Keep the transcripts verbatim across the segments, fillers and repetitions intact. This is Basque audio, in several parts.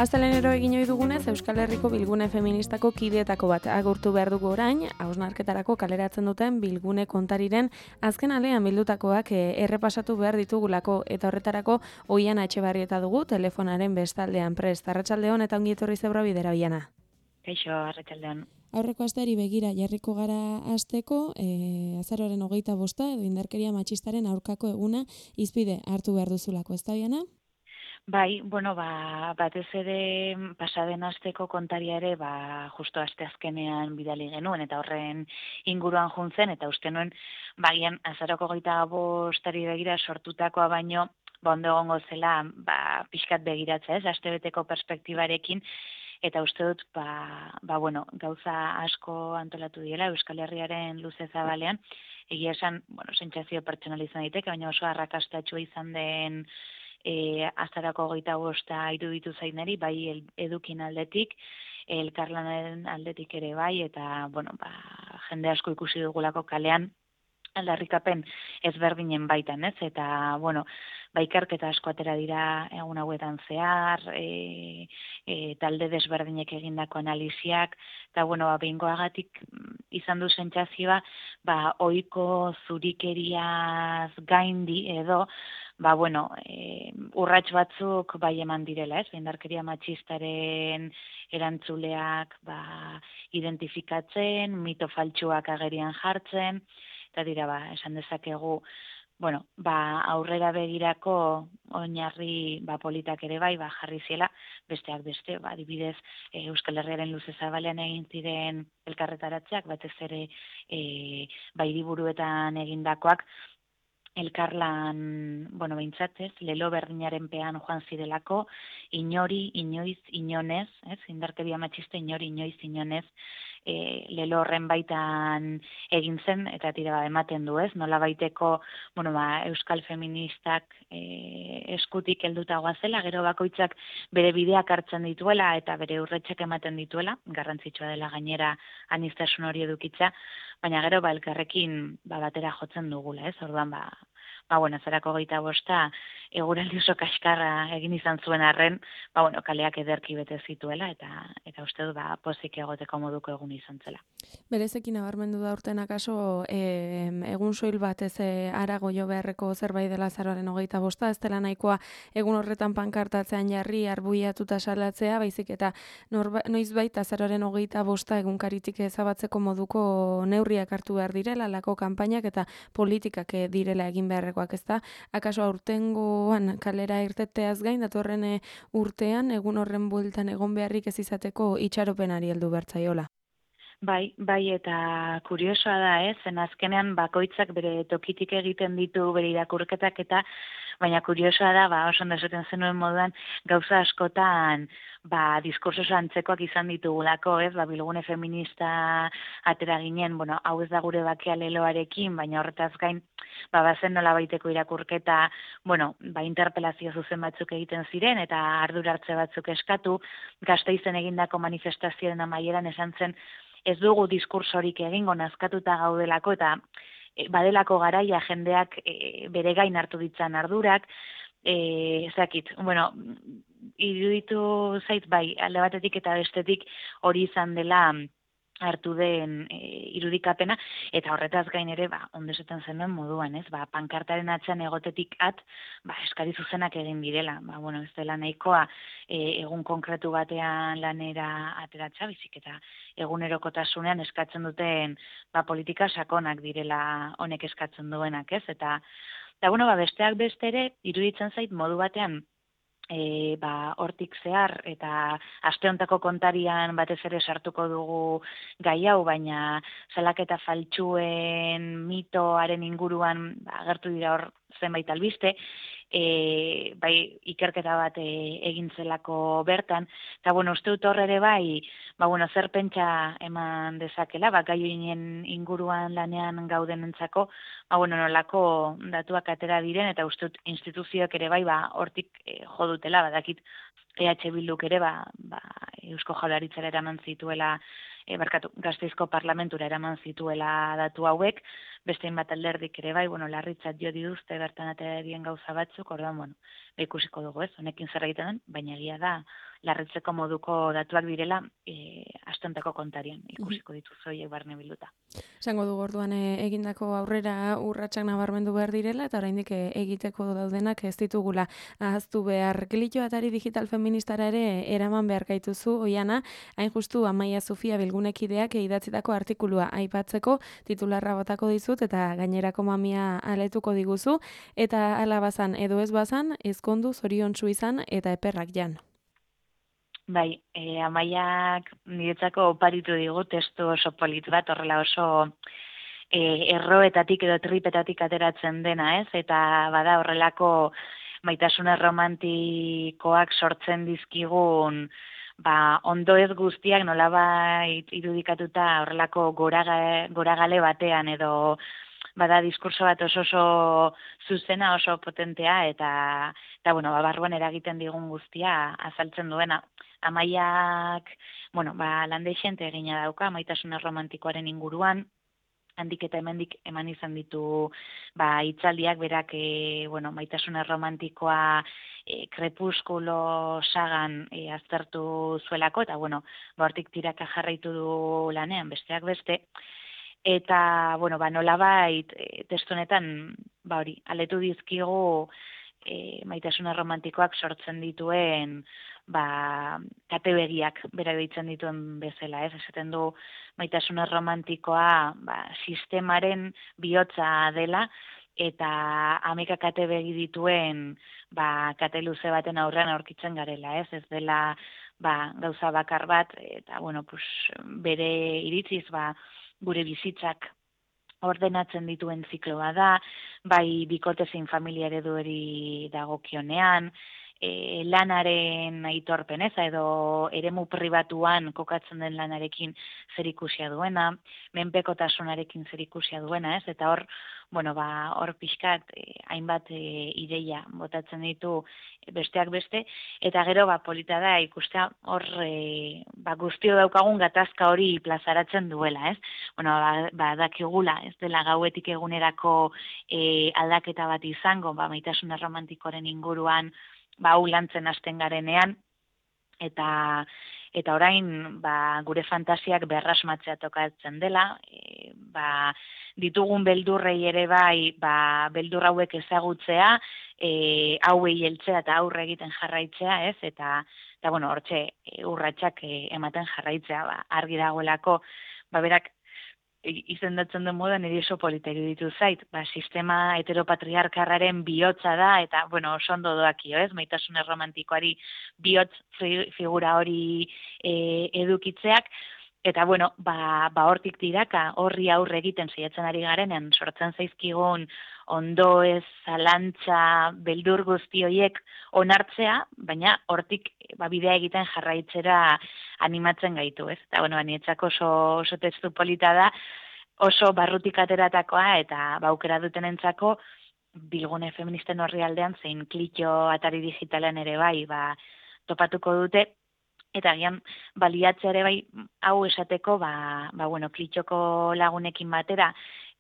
Astelenero egin ohi dugunez, Euskal Herriko Bilgune Feministako kideetako bat agurtu behar dugu orain, hausnarketarako kaleratzen duten Bilgune kontariren azken alean bildutakoak errepasatu behar ditugulako, eta horretarako Oiana Etxebarrieta dugu telefonaren bestaldean prest. Arratsaldeon eta ongi etorri Zebra Bidera, Oiana. Kaixo, arratsaldeon. Aurreko asteari begira jarriko gara hasteko, e, azaroaren hogeita bosta edo indarkeria matxistaren aurkako eguna hizpide hartu behar duzulako, ez da, Oiana? Bai, bueno, ba, batez ere pasaden asteko kontaria ere, ba, justo aste azkenean bidali genuen, eta horren inguruan juntzen, eta uste nuen, bagian azaroko goita bostari begira sortutakoa baino, ba, ondo egongo zela, ba, pixkat begiratza ez, astebeteko perspektibarekin, eta uste dut, ba, ba, bueno, gauza asko antolatu diela Euskal Herriaren luze zabalean, egia esan, bueno, sentsazio pertsonalizan daiteke, baina oso arrakastatsua izan den E, azarako goita bosta iruditu zaineri, bai el, edukin aldetik, elkarlanaren aldetik ere bai, eta bueno, ba, jende asko ikusi dugulako kalean, aldarrikapen ezberdinen baitan, ez? Eta, bueno, ba, ikerketa asko atera dira egun hauetan zehar, e, e, talde desberdinek egindako analiziak, eta, bueno, ba, behingoagatik izan du sentsazioa, ba, ohiko zurikeriaz gaindi edo, ba, bueno, e, urrats batzuk bai eman direla, ez? Indarkeria matxistaren erantzuleak ba, identifikatzen, mito faltsuak agerian jartzen, eta dira, ba, esan dezakegu, bueno, ba, aurrera begirako oinarri ba, politak ere bai, ba, jarri ziela, besteak beste, ba, adibidez, e, Euskal Herriaren luze zabalean egin ziren elkarretaratzeak, batez ere e, ba, hiriburuetan egindakoak, elkarlan, bueno, behintzatez, lelo berdinaren pean joan zirelako, inori, inoiz, inonez, ez, indarkeria matxista inori, inoiz, inonez, e, lelo horren baitan egin zen, eta tira ba, ematen du, ez, nola baiteko, bueno, ba, euskal feministak e, eskutik helduta goazela, gero bakoitzak bere bideak hartzen dituela, eta bere urretxek ematen dituela, garrantzitsua dela gainera aniztasun hori edukitza, baina gero ba, elkarrekin ba, batera jotzen dugula, ez, orduan ba, ba, bueno, zarako geita bosta, eguraldi oso kaskarra egin izan zuen arren, ba, bueno, kaleak ederki bete zituela, eta eta uste du, ba, pozik egoteko moduko egun izan zela. Berezekin nabarmendu da urten akaso, e, egun soil bat ez e, arago jo beharreko zerbait dela azaroaren hogeita bosta, ez dela nahikoa egun horretan pankartatzean jarri, arbuiatuta salatzea, baizik eta norba, noizbait azaroaren hogeita bosta egunkaritik ezabatzeko moduko neurriak hartu behar direla, lako kanpainak eta politikak direla egin beharrekoak, ez da? Akaso aurtengoan kalera irteteaz gain, datorren urtean, egun horren bueltan egon beharrik ez izateko itxaropenari heldu bertzaiola. Bai, bai, eta kuriosoa da, ez, zen azkenean bakoitzak bere tokitik egiten ditu bere irakurketak, eta baina kuriosoa da, ba, oso ondo esaten zenuen moduan, gauza askotan, ba, diskurso antzekoak izan ditugulako, ez, ba, Bilgune feminista atera ginen, bueno, hau ez da gure bakea leloarekin, baina horretaz gain, ba, bazen nola baiteko irakurketa, bueno, ba, interpelazio zuzen batzuk egiten ziren, eta ardura hartze batzuk eskatu, Gasteizen egindako manifestazioen amaieran esan zen, ez dugu diskursorik egingo nazkatuta gaudelako, eta e, badelako garaia jendeak e, bere gain hartu ditzan ardurak, e, ezakit, bueno, iruditu zait bai, alde batetik eta bestetik hori izan dela hartu den e, irudikapena, eta horretaz gain ere, ba, ondesetan zenuen moduan, ez, ba, pankartaren atzean egotetik at, ba, eskari zuzenak egin direla, ba, bueno, ez dela nahikoa e, egun konkretu batean lanera ateratza, bizik eta egunerokotasunean eskatzen duten, ba, politika sakonak direla honek eskatzen duenak, ez, eta, eta bueno, ba, besteak beste ere, iruditzen zait modu batean, E, ba, hortik zehar eta aste hontako kontarian batez ere sartuko dugu gai hau, baina salaketa faltsuen mitoaren inguruan ba, agertu dira hor zenbait albiste, e, bai ikerketa bat e, egin zelako bertan, eta bueno, uste dut hor ere bai, ba, bueno, zer pentsa eman dezakela, ba, gai horien inguruan lanean gaudenentzako, ba, bueno, nolako datuak atera diren, eta uste dut instituzioak ere bai, ba, hortik e, jo dutela, badakit E H Bilduk ere, ba, ba, Eusko Jaurlaritzara eraman zituela, e, barkatu, Gasteizko parlamentura eraman zituela datu hauek, beste hainbat alderdik ere bai, bueno, larritzat jo dituzte bertan atera dien gauza batzuk, orduan, bueno, ikusiko dugu ez, honekin zer egiten den, baina egia da, larritzeko moduko datuak direla, e, astentako kontarian ikusiko dituzu horiek barne bilduta. Esango du orduan egindako aurrera urratsak nabarmendu behar direla eta oraindik egiteko daudenak ez ditugula ahaztu behar. Klitxo atari digital feministara ere eraman behar gaituzu, Oiana, hain justu Amaia Zufia bilgunekideak idatzitako artikulua aipatzeko titularra botako dizut eta gainerako mamia aletuko diguzu eta hala bazan edo ez bazan ezkondu zoriontsu izan eta eperrak jan. Bai, e, Amaiak niretzako oparitu digu testu oso polit bat, horrela oso e, erroetatik edo tripetatik ateratzen dena, ez? Eta bada horrelako maitasuna romantikoak sortzen dizkigun ba, ondo ez guztiak nolabait irudikatuta horrelako goraga, goragale batean edo bada diskurso bat oso oso zuzena, oso potentea eta, eta bueno, ba, barruan eragiten digun guztia azaltzen duena. Amaiak, bueno, ba, landeixente egina dauka, maitasuna romantikoaren inguruan, handik eta hemendik eman izan ditu ba, hitzaldiak berak e, bueno, maitasuna romantikoa e, krepuskulo sagan e, aztertu zuelako, eta bueno, ba, hortik tiraka jarraitu du lanean, besteak beste, eta, bueno, ba, nolabait e, testu honetan, ba, hori, aletu dizkigu e, maitasuna romantikoak sortzen dituen ba, katebegiak bera deitzen dituen bezala, ez? Esaten du maitasuna romantikoa ba, sistemaren bihotza dela eta hamaika katebegi dituen ba, kate luze baten aurrean aurkitzen garela, ez? Ez dela ba, gauza bakar bat eta bueno, pues, bere iritziz ba, gure bizitzak ordenatzen dituen zikloa da, bai bikote zein familia ereduari dagokionean, E, lanaren aitorpen eza edo eremu pribatuan kokatzen den lanarekin zerikusia duena, menpekotasunarekin zerikusia duena, ez? Eta hor, bueno, ba, hor pixkat e, hainbat e, ideia botatzen ditu besteak beste, eta gero ba, polita da ikustea hor e, ba, guztio daukagun gatazka hori plazaratzen duela, ez? Bueno, ba, ba dakigula, ez dela gauetik egunerako e, aldaketa bat izango, ba, maitasuna romantikoaren inguruan, ba, hau lantzen hasten garenean, eta eta orain ba, gure fantasiak berrasmatzea tokatzen dela, e, ba, ditugun beldurrei ere bai, ba, beldur hauek ezagutzea, e, hauei heltzea eta aurre egiten jarraitzea, ez? Eta, eta bueno, hortxe urratsak e, ematen jarraitzea, ba, argi dagoelako, ba, berak izendatzen den moduan niri oso polita iruditu zait, ba, sistema heteropatriarkarraren bihotza da, eta, bueno, oso ondo doakio, ez, maitasuna romantikoari bihotz figura hori e, edukitzeak, eta, bueno, ba, ba hortik tiraka, horri aurre egiten saiatzen ari garenean, sortzen zaizkigun ondo ez, zalantza, beldur guzti horiek onartzea, baina hortik ba, bidea egiten jarraitzera animatzen gaitu, ez? Eta, bueno, banietzako oso, oso testu polita da, oso barrutik ateratakoa eta baukera dutenentzako bilgune feministen horri aldean zein klitxo atari digitalean ere bai, ba, topatuko dute, eta gian baliatzea ere bai hau esateko, ba, ba bueno, klitxoko lagunekin batera,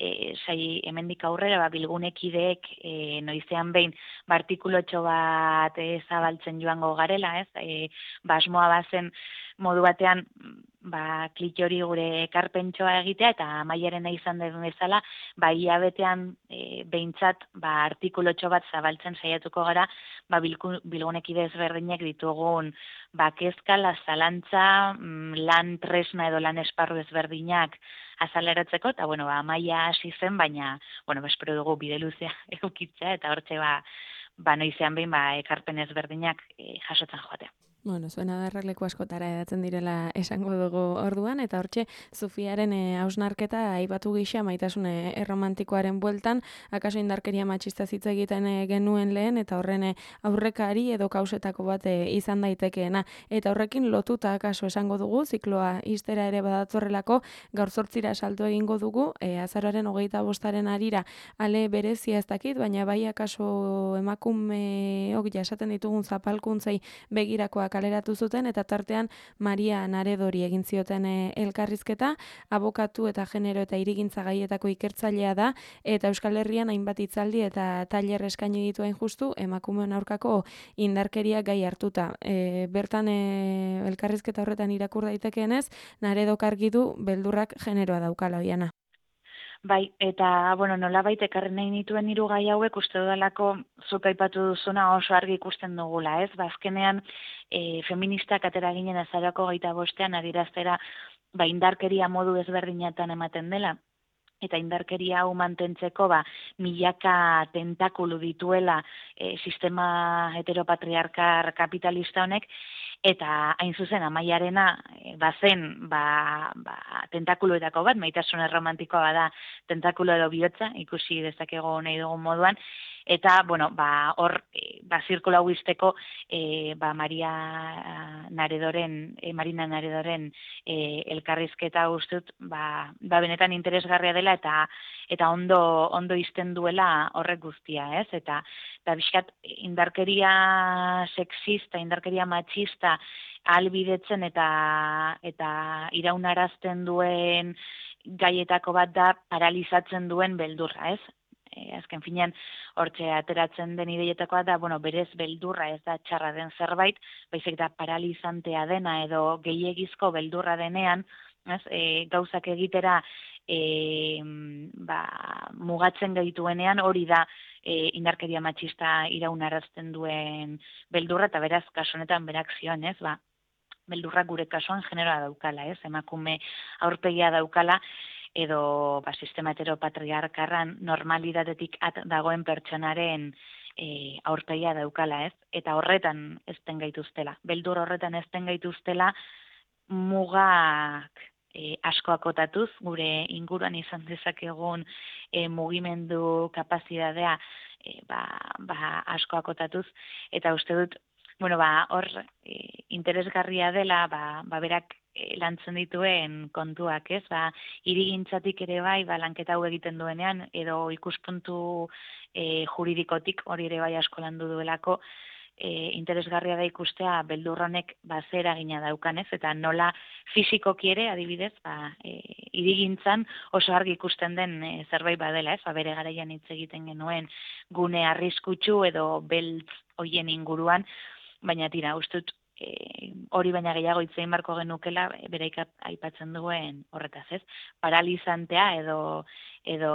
e, sai hemendik aurrera ba, bilgunekideek e, noizean behin ba, artikulotxo bat e, zabaltzen joango garela, ez? E, basmoa bazen modu batean ba, klitxori gure ekarpentsoa egitea eta Amaiarena izan den bezala, ba, hilabetean e, behintzat ba, artikulotxo bat zabaltzen saiatuko gara ba, bilgunekide ezberdinek ditugun ba, kezkala, zalantza, lan tresna edo lan esparru ezberdinak azaleratzeko, eta bueno, ba, Amaia hasi zen, baina bueno, espero dugu bide luzea edukitzea eta hortxe ba, ba, noizean behin ba, ekarpen ezberdinak e, jasotzen joatea. Bueno, zuen adarrak leku askotara edatzen direla esango dugu orduan, eta hortxe Zufiaren hausnarketa e, aipatu gisa maitasun erromantikoaren bueltan, akaso indarkeria matxista hitz egiten e, genuen lehen, eta horren e, aurrekari edo kausetako bat e, izan daitekeena. Eta horrekin lotuta akaso esango dugu, zikloa iztera ere badatorrelako, gaur zortzira salto egingo dugu, e, azaroaren hogeita bostaren arira, ale berezia ez dakit, baina bai akaso emakumeok jasaten ditugun zapalkuntzei begirakoak kaleratu zuten, eta tartean Maria Naredori egin zioten e, elkarrizketa, abokatu eta genero eta hirigintza gaietako ikertzailea da, eta Euskal Herrian hainbat hitzaldi eta tailer eskaini dituen justu emakumeen aurkako indarkeria gai hartuta. E, bertan e, elkarrizketa horretan irakur daitekeenez, Naredok argi du beldurrak generoa daukala, Oiana. Bai, eta, bueno, nolabait ekarri nahi nituen hiru gai hauek uste dudalako zuk aipatu duzuna oso argi ikusten dugula, ez? Ba, azkenean, e, feministak atera ginen azaroko geita bostean adieraztera, ba, indarkeria modu ezberdinatan ematen dela, eta indarkeria hau mantentzeko, ba, milaka tentakulu dituela e, sistema heteropatriarkar kapitalista honek, eta hain zuzen amaiarena e, bazen ba, ba, tentakuluetako bat, maitasun erromantikoa bada tentakulo edo bihotza, ikusi dezakego nahi dugun moduan, eta, bueno, ba, hor, e, ba, zirkulo hau izteko, e, ba, Maria Naredoren, e, Marina Naredoren e, elkarrizketa ustut, ba, ba, benetan interesgarria dela, eta eta ondo ondo izten duela horrek guztia, ez? Eta eta bizkat indarkeria sexista, indarkeria matxista ahalbidetzen eta eta iraunarazten duen gaietako bat da paralizatzen duen beldurra, ez? E, azken finean hortxe ateratzen den ideietakoa da, bueno, berez beldurra ez da txarra den zerbait, baizik da paralizantea dena edo gehiegizko beldurra denean, ez? E, gauzak egitera E, ba, mugatzen gaituenean hori da e, indarkeria matxista iraunarazten duen beldurra, eta beraz, kasu honetan berak zioen, ez, ba, beldurrak gure kasuan generoa daukala, ez, emakume aurpegia daukala, edo ba, sistema heteropatriarkarran normalidadetik at dagoen pertsonaren e, aurpegia daukala, ez, eta horretan ezten gaituztela, beldur horretan ezten gaituztela mugak E, asko akotatuz, gure inguruan izan dezakegun e, mugimendu kapazitatea e, ba, ba, asko akotatuz, eta uste dut, bueno, ba, hor e, interesgarria dela, ba, ba berak e, lantzen dituen kontuak, ez? Ba, hirigintzatik ere bai, ba, lanketa hau egiten duenean, edo ikuspuntu e, juridikotik hori ere bai asko landu duelako, E, interesgarria da ikustea beldurronek ba, zer eragina daukanez, eta nola fisikoki ere, adibidez, ba, e, hirigintzan oso argi ikusten den e, zerbait badela, ez, ba, bere garaian hitz egiten genuen gune arriskutsu edo beltz hoien inguruan, baina tira, ustut, e, hori baina gehiago hitz egin barko genukela, bere aipatzen duen horretaz, ez, paralizantea edo edo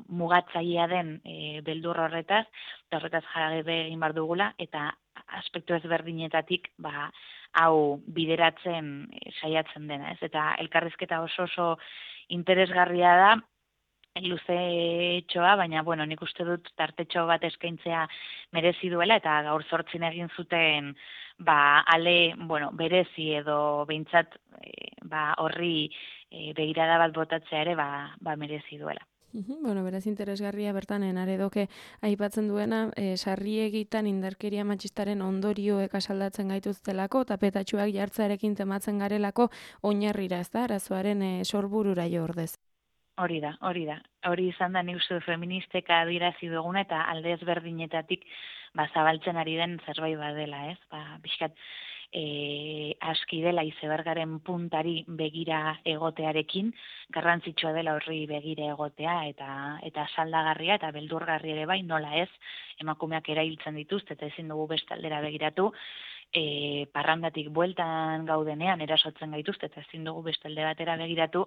mugatzailea den e, beldur horretaz, eta horretaz jarrabe egin bar dugula, eta aspektu ezberdinetatik ba, hau bideratzen e, saiatzen dena, ez? Eta elkarrizketa oso oso interesgarria da, luzetxoa, baina, bueno, nik uste dut tartetxo bat eskaintzea merezi duela, eta gaur zortzin egin zuten ba, ale, bueno, berezi edo behintzat e, ba, horri e, begirada bat botatzea ere ba, ba merezi duela. Uhum, bueno, beraz interesgarria bertan Naredoke aipatzen duena, e, sarriegitan indarkeria matxistaren ondorioek asaldatzen gaituztelako, tapetatxuak jartzearekin tematzen garelako oinarrira, ez da, arazoaren e, sorburura jo ordez. Hori da, hori da. Hori izan da nik uste du feministeka adirazi duguna eta alde ezberdinetatik ba, zabaltzen ari den zerbait badela, ez? Ba, bizkat, e, aski dela izebergaren puntari begira egotearekin, garrantzitsua dela horri begira egotea eta eta saldagarria eta beldurgarri ere bai, nola ez, emakumeak erailtzen dituzte eta ezin dugu beste aldera begiratu, e, parrandatik bueltan gaudenean erasotzen gaituzte eta ezin dugu beste alde batera begiratu,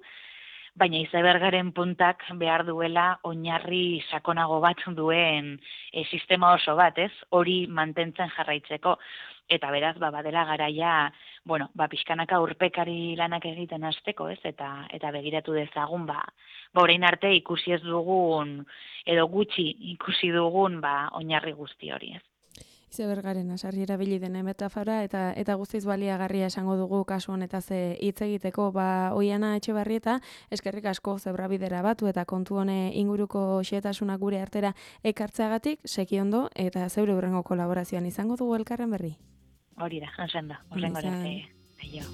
baina izebergaren puntak behar duela oinarri sakonago bat duen e, sistema oso bat, ez? Hori mantentzen jarraitzeko. Eta beraz, ba, badela garaia, bueno, ba, pixkanaka urpekari lanak egiten hasteko, ez? Eta eta begiratu dezagun, ba, ba orain arte ikusi ez dugun, edo gutxi ikusi dugun, ba, oinarri guzti hori, ez? Izebergaren asarri erabili dena metafora eta eta guztiz baliagarria esango dugu kasu honetaz hitz egiteko. Ba, Oiana Etxebarrieta, eskerrik asko zebrabidera batu eta kontu hone inguruko xehetasunak gure artera ekartzeagatik, seki ondo eta zeure hurrengo kolaborazioan izango dugu elkarren berri. Hori da, hansen da, hurrengo arte. Aio.